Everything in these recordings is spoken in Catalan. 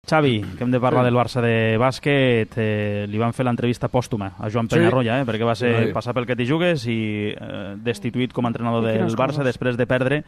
Xavi, que hem de parlar del Barça de bàsquet, li van fer l'entrevista pòstuma a Joan Peñarroya, perquè va ser passar pel que t'hi jugues i destituït com a entrenador del Barça després de perdre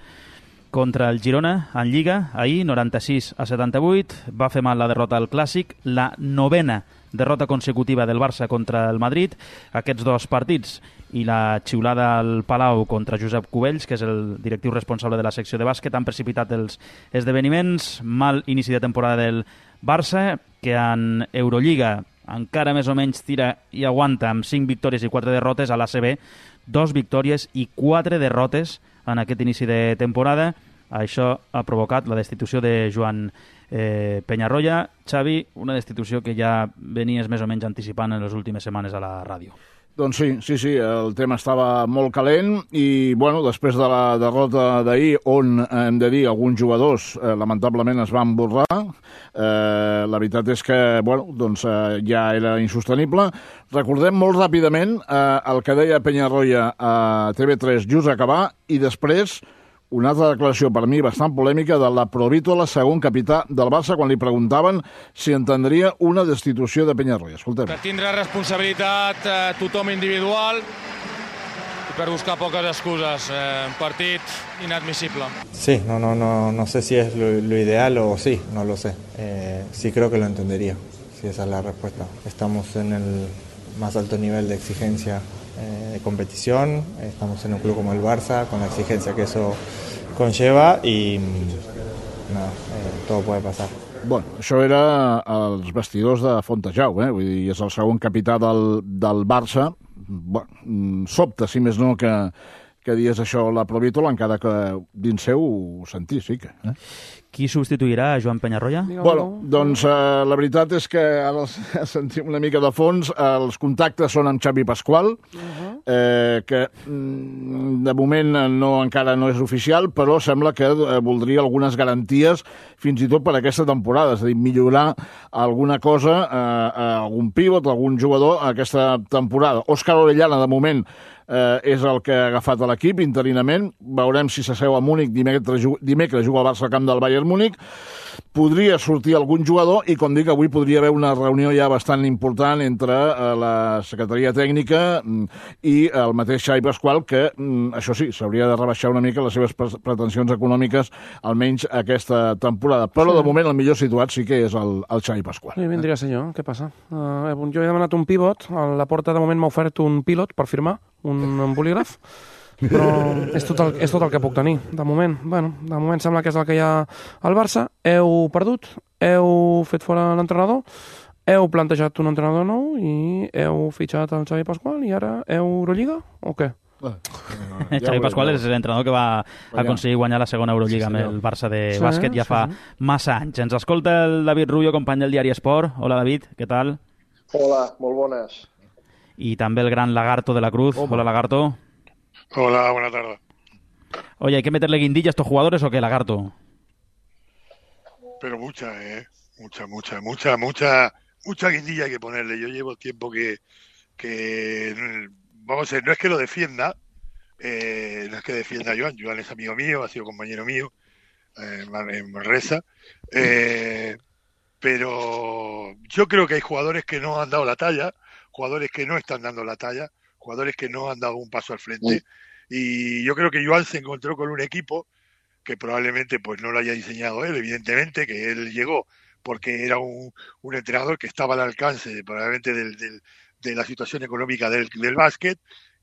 contra el Girona en Lliga, ahir 96-78, va fer mal la derrota al Clàssic, la 9ª derrota consecutiva del Barça contra el Madrid. Aquests dos partits i la xiulada al Palau contra Josep Cubells, que és el directiu responsable de la secció de bàsquet, han precipitat els esdeveniments. Mal inici de temporada del Barça, que en Eurolliga encara més o menys tira i aguanta amb 5 victòries i 4 derrotes. A l'ACB, 2 victòries i 4 derrotes en aquest inici de temporada. Això ha provocat la destitució de Joan Peñarroya. Xavi, una destitució que ja venies més o menys anticipant en les últimes setmanes a la ràdio. Doncs sí, el tema estava molt calent i, bueno, després de la derrota d'ahir, on, hem de dir, alguns jugadors lamentablement es van borrar, la veritat és que, bueno, doncs ja era insostenible. Recordem molt ràpidament el que deia Peñarroya a TV3 just acabar i després una altra declaració per mi bastant polèmica de la Provítola, segon capità del Barça, quan li preguntaven si entendria una destitució de Peñarroya. Escoltem. Per tindre responsabilitat tothom individual i per buscar poques excuses. Un partit inadmisible. Sí, no sé si es lo ideal o sí, no lo sé. Sí creo que lo entendería, si esa es la respuesta. Estamos en el más alto nivel de exigencia de competición, estamos en un club como el Barça, con la exigencia que eso conlleva y todo puede pasar. Bueno, això era als vestidors de Fontejau, vull dir, és el segon capità del Barça. Bueno, sobta, si més no, que dies això la Provítola, encara que dins seu ho sentís, sí que. Qui substituirà a Joan Peñarroya? Bueno, doncs la veritat és que ara sentim una mica de fons. Els contactes són amb Xavi Pasqual, que de moment encara no és oficial, però sembla que voldria algunes garanties fins i tot per aquesta temporada, és a dir, millorar alguna cosa, algun pivot, algun jugador aquesta temporada. Òscar Orellana, de moment, és el que ha agafat a l'equip interinament. Veurem si s'asseu a Múnich. Dimecres juga al Barça al camp del Bayern Múnich. Podria sortir algun jugador i, com dic, avui podria haver una reunió ja bastant important entre la secretaria tècnica i el mateix Xavi Pasqual, que, això sí, s'hauria de rebaixar una mica les seves pretensions econòmiques, almenys aquesta temporada. Però, de moment, el millor situat sí que és el Xavi Pasqual. Sí, vindria a ser jo. Què passa? Jo he demanat un pivot. A la porta, de moment, m'ha ofert un pilot per firmar, un bolígraf. Però és tot el que puc tenir, de moment. Bueno, de moment sembla que és el que hi ha al Barça. Heu perdut, heu fet fora l'entrenador, heu plantejat un entrenador nou i heu fitxat el Xavi Pasqual i ara Eurolliga o què? Xavi Pasqual és l'entrenador que va aconseguir guanyar la segona Eurolliga amb el Barça de bàsquet ja fa massa anys. Ens escolta el David Rubio, company del diari Esport. Hola, David, què tal? Hola, molt bones. Y también el gran Lagarto de la Cruz. Hola, Lagarto. Hola, buena tarde. Oye, ¿hay que meterle guindilla a estos jugadores o qué, Lagarto? Pero mucha, mucha guindilla hay que ponerle. Yo llevo tiempo que vamos a ver, no es que lo defienda, no es que defienda a Joan. Joan es amigo mío, ha sido compañero mío en Manresa, pero yo creo que hay jugadores que no han dado la talla, jugadores que no están dando la talla, jugadores que no han dado un paso al frente, y yo creo que Joan se encontró con un equipo que probablemente pues no lo haya diseñado él, evidentemente, que él llegó porque era un entrenador que estaba al alcance probablemente de la situación económica del básquet,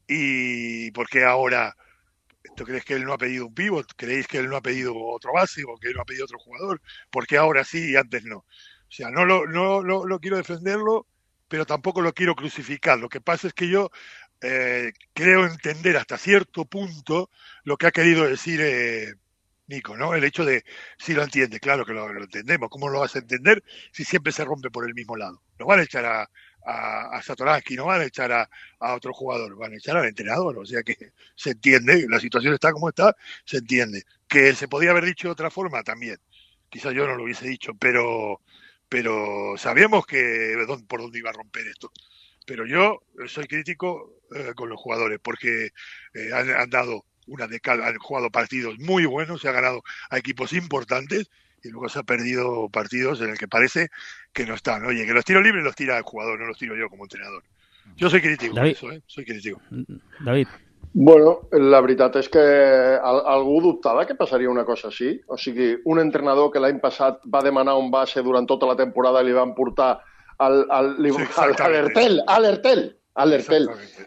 y porque ahora, ¿tú crees que él no ha pedido un pívot? ¿Creéis que él no ha pedido otro base o que él no ha pedido otro jugador? Porque ahora sí y antes no. O sea, no lo quiero defenderlo, pero tampoco lo quiero crucificar. Lo que pasa es que yo creo entender hasta cierto punto lo que ha querido decir Nico, ¿no? El hecho de, si lo entiende, claro que lo entendemos. ¿Cómo lo vas a entender si siempre se rompe por el mismo lado? No van a echar a Satoransky, no van a echar a otro jugador, van a echar al entrenador. O sea que se entiende, la situación está como está, se entiende. Que se podía haber dicho de otra forma también. Quizás yo no lo hubiese dicho, pero sabíamos por dónde iba a romper esto. Pero yo soy crítico con los jugadores porque han dado una de cal, han jugado partidos muy buenos, se ha ganado a equipos importantes y luego se ha perdido partidos en el que parece que no están. Oye, que los tiros libres los tira el jugador, no los tiro yo como entrenador. Jo soy crítico de eso, soy crítico. David. Bueno, la veritat és que algú dubtava que passaria una cosa així. O sigui, un entrenador que l'any passat va demanar un base durant tota la temporada i li van portar a l'Ertel,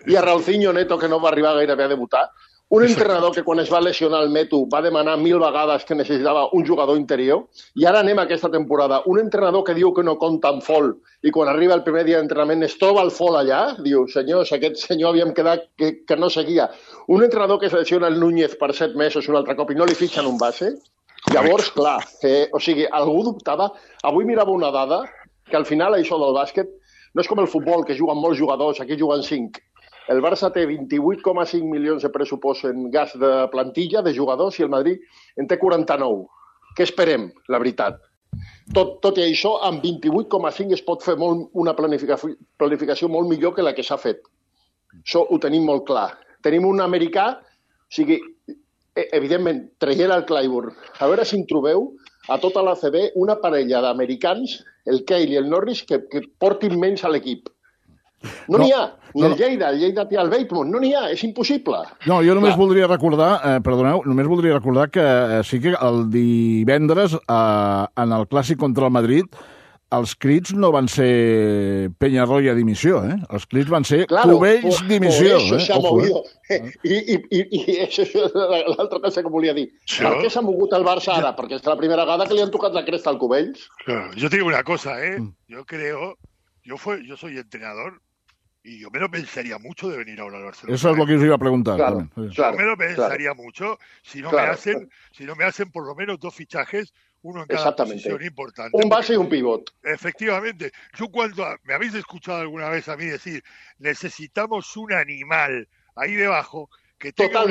i a Raulzinho Neto, que no va arribar gairebé a debutar. Un entrenador que quan es va lesionar el Metu va demanar 1000 vegades que necessitava un jugador interior, i ara anem a aquesta temporada. Un entrenador que diu que no compta amb Fol i quan arriba el primer dia d'entrenament es troba el Fol allà, diu, senyors, aquest senyor havíem quedat que no seguia. Un entrenador que selecciona el Núñez per 7 mesos un altre cop i no li fitxen un base. Llavors, clar, o sigui, algú dubtava. Avui mirava una dada que al final això del bàsquet no és com el futbol, que juguen molts jugadors, aquí juguen 5. El Barça té 28,5 milions de pressupost en gas de plantilla, de jugadors, i el Madrid en té 49. Què esperem, la veritat? Tot i això, amb 28,5 es pot fer una planificació molt millor que la que s'ha fet. Això ho tenim molt clar. Tenim un americà, o sigui, evidentment, traient el Clyburn. A veure si en trobeu a tota la CB una parella d'americans, el Cale i el Norris, que portin menys a l'equip. No n'hi ha. Ni el Lleida té el Bateman. No n'hi ha, és impossible. No, jo només voldria recordar, que sí que el divendres, en el clàssic contra el Madrid, els crits no van ser Peñarroya dimissió, eh? Els crits van ser Cubells dimissió. Por eso se ha movido. I això és l'altra cosa que volia dir. Per què s'ha mogut el Barça ara? Perquè és la primera vegada que li han tocat la cresta al Cubells. Yo te digo una cosa, yo creo, yo soy entrenador, y yo me lo pensaría mucho de venir ahora al Barcelona. Eso es lo que os iba a preguntar. Claro, yo me lo pensaría mucho si no me hacen por lo menos 2 fichajes, uno en cada posición importante. Un base y un pivot. Efectivamente. Yo cuando me habéis escuchado alguna vez a mí decir, necesitamos un animal ahí debajo que tenga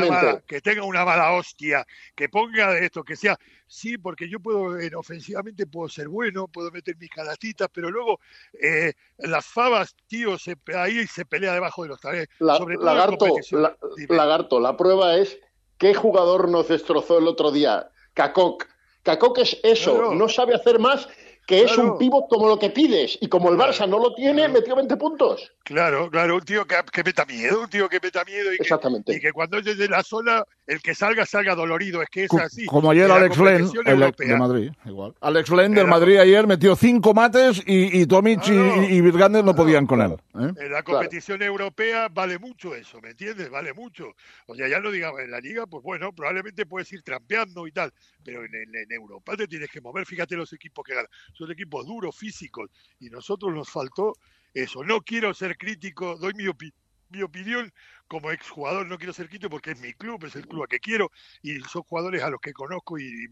una mala hostia, que ponga de esto, que sea... Sí, porque yo ofensivamente puedo ser bueno, puedo meter mis canatitas, pero luego las fabas, tío, ahí se pelea debajo de los tareas. Lagarto, la prueba es ¿qué jugador nos destrozó el otro día? Kakok. Kakok es eso, no sabe hacer más, que es un pívot como lo que pides, y como el Barça no lo tiene, metió 20 puntos. Claro, un tío que meta miedo, y que cuando es desde la zona, el que salga dolorido, es que es así. Como ayer Alex Len, de Madrid, igual. Alex Len del Madrid ayer metió 5 mates y Tomic y Virgander no podían con él. En la competición europea vale mucho eso, ¿me entiendes? Vale mucho. O sea, ya no digamos, en la Liga, pues bueno, probablemente puedes ir trampeando y tal, pero en Europa te tienes que mover. Fíjate los equipos que ganan. Son equipos duros, físicos, y nosotros nos faltó eso. No quiero ser crítico, doy mi opinión como exjugador, no quiero ser crítico porque es mi club, es el club a que quiero, y son jugadores a los que conozco y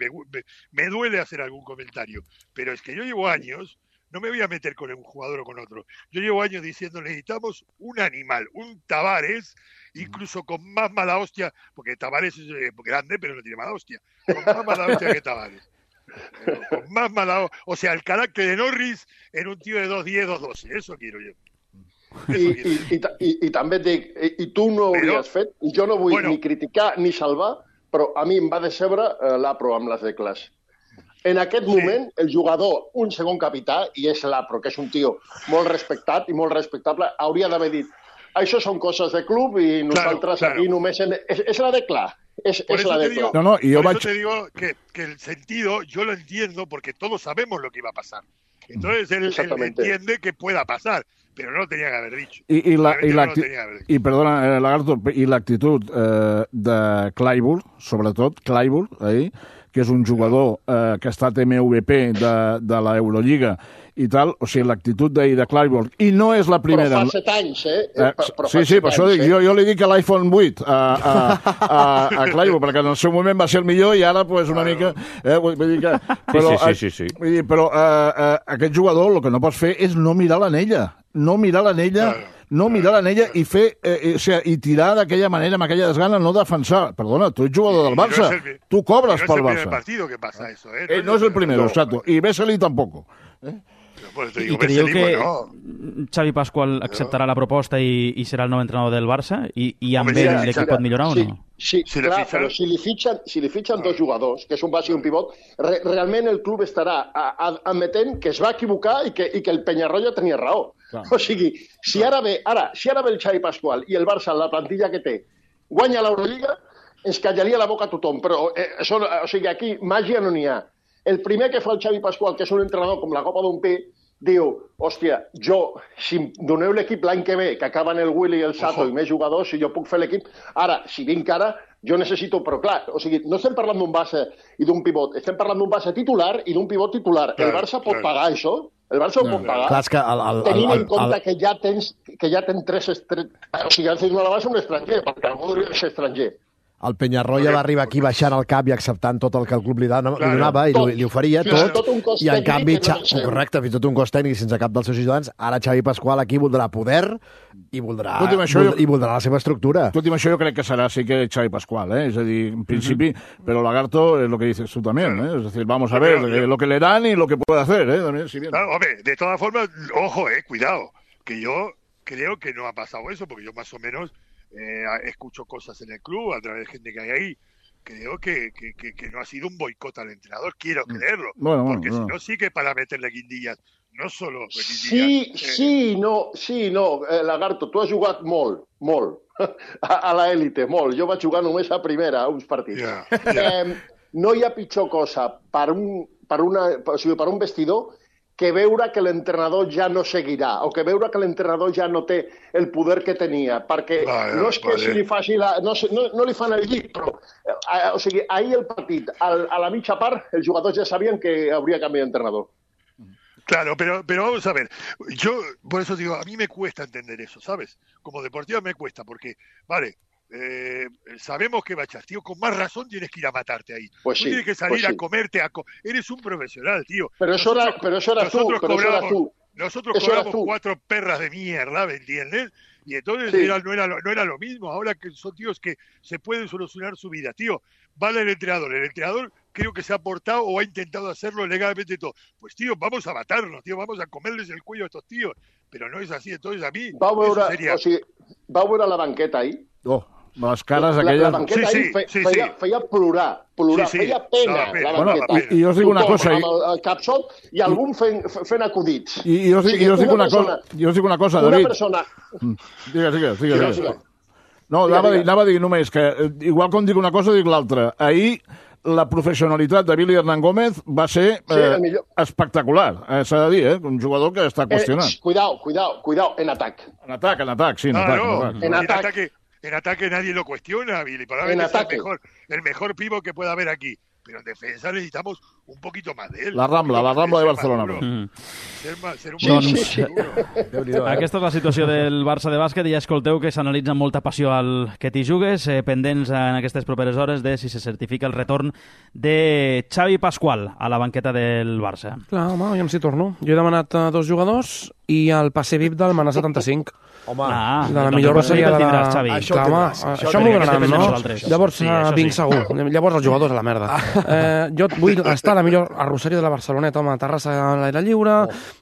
me duele hacer algún comentario. Pero es que yo llevo años, no me voy a meter con un jugador o con otro, yo llevo años diciendo necesitamos un animal, un Tavares, incluso con más mala hostia, porque Tavares es grande pero no tiene mala hostia, con más mala hostia que Tavares. Con más mala, o sea, el carácter de Norris en un tío de 2'10", 2'12", eso quiero yo. I també et dic, i tu no ho hauries fet, i jo no vull ni criticar ni salvar, però a mi em va decebre l'Apro amb les decles. En aquest moment, el jugador, un segon capità, i és l'Apro, que és un tio molt respectat i molt respectable, hauria d'haver dit això són coses de club i nosaltres aquí només... És la decla. Por eso te digo que el sentido yo lo entiendo porque todos sabemos lo que iba a pasar. Entonces él entiende que pueda pasar, pero no lo tenía que haber dicho. Perdona, Lagarto, i l'actitud de Clyburn, sobretot, que és un jugador que ha estat MVP de l'Eurolliga i tal, o sigui, l'actitud d'ahir de Clyburn, i no és la primera... Però fa 7 anys, Sí, per això dic, jo li dic a l'iPhone 8 a Clyburn, perquè en el seu moment va ser el millor i ara, pues, una mica... Vull dir que... Sí. Però aquest jugador el que no pots fer és no mirar l'anella. No mirar l'anella i fer i tirar d'aquella manera, amb aquella desgana, no defensar. Perdona, tu ets jugador del Barça, tu cobres pel Barça. No es el primer partido que pasa eso, no es el primero, exacto. Y Vesely tampoco. ¿Y creo que Xavi Pascual acceptarà la proposta i serà el nou entrenador del Barça? I amb ell l'equip pot millorar o no? Sí, clar, però si li fitxen dos jugadors, que és un base i un pivot, realment el club estarà admetent que es va equivocar i que el Peñarroya tenia raó. Clar. O sigui, si ara ve el Xavi Pascual i el Barça, la plantilla que té, guanya l'Eurolliga, ens callaria la boca a tothom, però aquí màgia no n'hi ha. El primer que fa el Xavi Pascual, que és un entrenador com la copa d'un pi, diu, hòstia, si em doneu l'equip l'any que ve, que acaben el Willy i el Sato i més jugadors, si jo puc fer l'equip, ara, si vinc ara, jo necessito, però clar, o sigui, no estem parlant d'un base i d'un pivot, estem parlant d'un base titular i d'un pivot titular. El Barça pot pagar això? El Barça ho pot pagar? Clar, és que tenint en compte que ja tens tres... O sigui, has de donar la base a un estranger, perquè algú hauria de ser estranger. El Peñarroya va arribar aquí baixant el cap i acceptant tot el que el club li donava i li oferia tot, i en canvi, correcte, fins i tot un cost tècnic sense cap dels seus ciutadans, ara Xavi Pascual aquí voldrà poder i voldrà la seva estructura. Tot i això jo crec que serà sí que Xavi Pascual, és a dir, en principi, però Lagarto es lo que dices tú también, es decir, vamos a ver lo que le dan y lo que puede hacer, también, si bien. Claro, hombre, de todas formas, ojo, cuidado, que yo creo que no ha pasado eso, porque yo más o menos escucho cosas en el club a través de gente que hay ahí. Creo que no ha sido un boicot al entrenador, quiero creerlo, porque si no sí que para meterle guindillas, no solo guindillas. Sí, no, Lagarto, tu has jugat molt a l'élite, molt. Jo vaig jugar només a primera, a uns partits. No hi ha pitjor cosa per un vestidor que veure que l'entrenador ja no seguirà, o que veure que l'entrenador ja no té el poder que tenia, perquè no és que si li faci no li fan el llit, però o sigui, ahir el partit, a la mitja part, els jugadors ja sabien que hauria canviat d'entrenador. Claro, pero vamos a ver, yo por eso digo, a mí me cuesta entender eso, ¿sabes? Como deportiva me cuesta, porque, vale, sabemos que Bachas, tío, con más razón tienes que ir a matarte ahí. Pues tú sí, tienes que salir a comerte, eres un profesional, tío. Pero eso era tú. Nosotros cobramos 4 perras de mierda, ¿me entiendes? Y entonces no era lo mismo. Ahora que son tíos que se pueden solucionar su vida, tío. Vale el entrenador creo que se ha portado o ha intentado hacerlo legalmente todo. Pues tío, vamos a matarnos, tío, vamos a comerles el cuello a estos tíos. Pero no es así, entonces a mí va veure la banqueta ahí. Les cares aquelles... La banqueta feia plorar, feia pena la banqueta. I jo us dic una cosa... Amb el capsot i algun fent acudits. I jo us dic una cosa, David. Una persona... Digues. No, anava a dir només que, igual com dic una cosa, dic l'altra. Ahir la professionalitat de Billy Hernán Gómez va ser espectacular, s'ha de dir, un jugador que està qüestionat. Cuidado, en atac. En atac, sí, en atac. En ataque nadie lo cuestiona, Billy. Para mí es el mejor pívot que pueda haber aquí. Pero en defensa necesitamos un poquito más de él. La Rambla de Barcelona. Ser un seguro. Aquesta és la situació del Barça de bàsquet i ja escolteu que s'analitza amb molta passió al que t'hi jugues, pendents en aquestes properes hores de si se certifica el retorn de Xavi Pascual a la banqueta del Barça. Clar, home, jo em s'hi torno. Jo he demanat 2 jugadors i el passe VIP del Manà 75. Home, de la millor roseria de la... Xavi. Això m'ho donaran, no? Llavors vinc segur. Llavors els jugadors a la merda. Jo vull estar a la millor arrosseria de la Barceloneta, home, terrassa a l'aire lliure,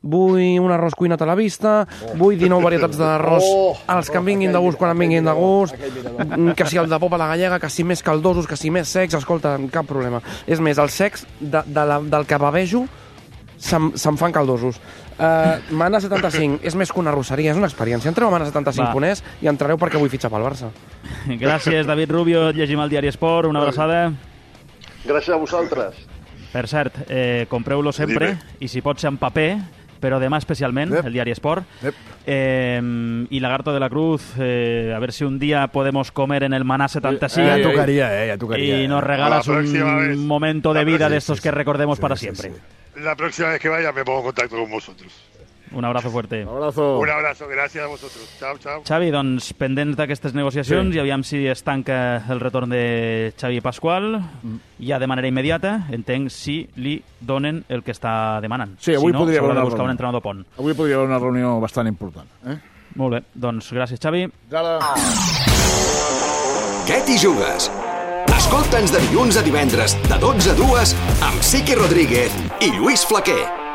vull un arròs cuinat a la vista, vull 19 varietats d'arròs els que em vinguin de gust quan em vinguin de gust, que si el de pop a la gallega, que si més caldosos, que si més secs, escolta, cap problema. És més, els secs del que bavejo se'm fan caldosos. Mana 75 és més que una arrosseria, és una experiència. Entreu a mana75.es i entrareu perquè vull fitxar pel Barça. Gràcies, David Rubio. Llegim al Diari Esport. Una abraçada. Gràcies a vosaltres. Per cert, compreu-lo sempre i si pot ser en paper, però demà especialment, el Diari Esport. Y Lagarto de la Cruz, a ver si un día podemos comer en el Maná 75. Ya tocaría. Y nos regalas un momento de vida de estos que recordemos para siempre. La próxima vez que vaya me pongo en contacto con vosotros. Un abrazo fuerte. Un abrazo, gràcies a vosaltres. Ciao. Xavi, doncs, pendents d'aquestes negociacions, i aviam si es tanca el retorn de Xavi Pascual, ja de manera immediata, entenc si li donen el que està demanant. Sí, avui podria haver buscar un entrenador pont. Avui podria haver una reunió bastant important. Molt bé, doncs gràcies, Xavi. Què t'hi jugues? Escolta'ns de dilluns a divendres, de 12 a 2, amb Siqui Rodríguez i Lluís Flaquer.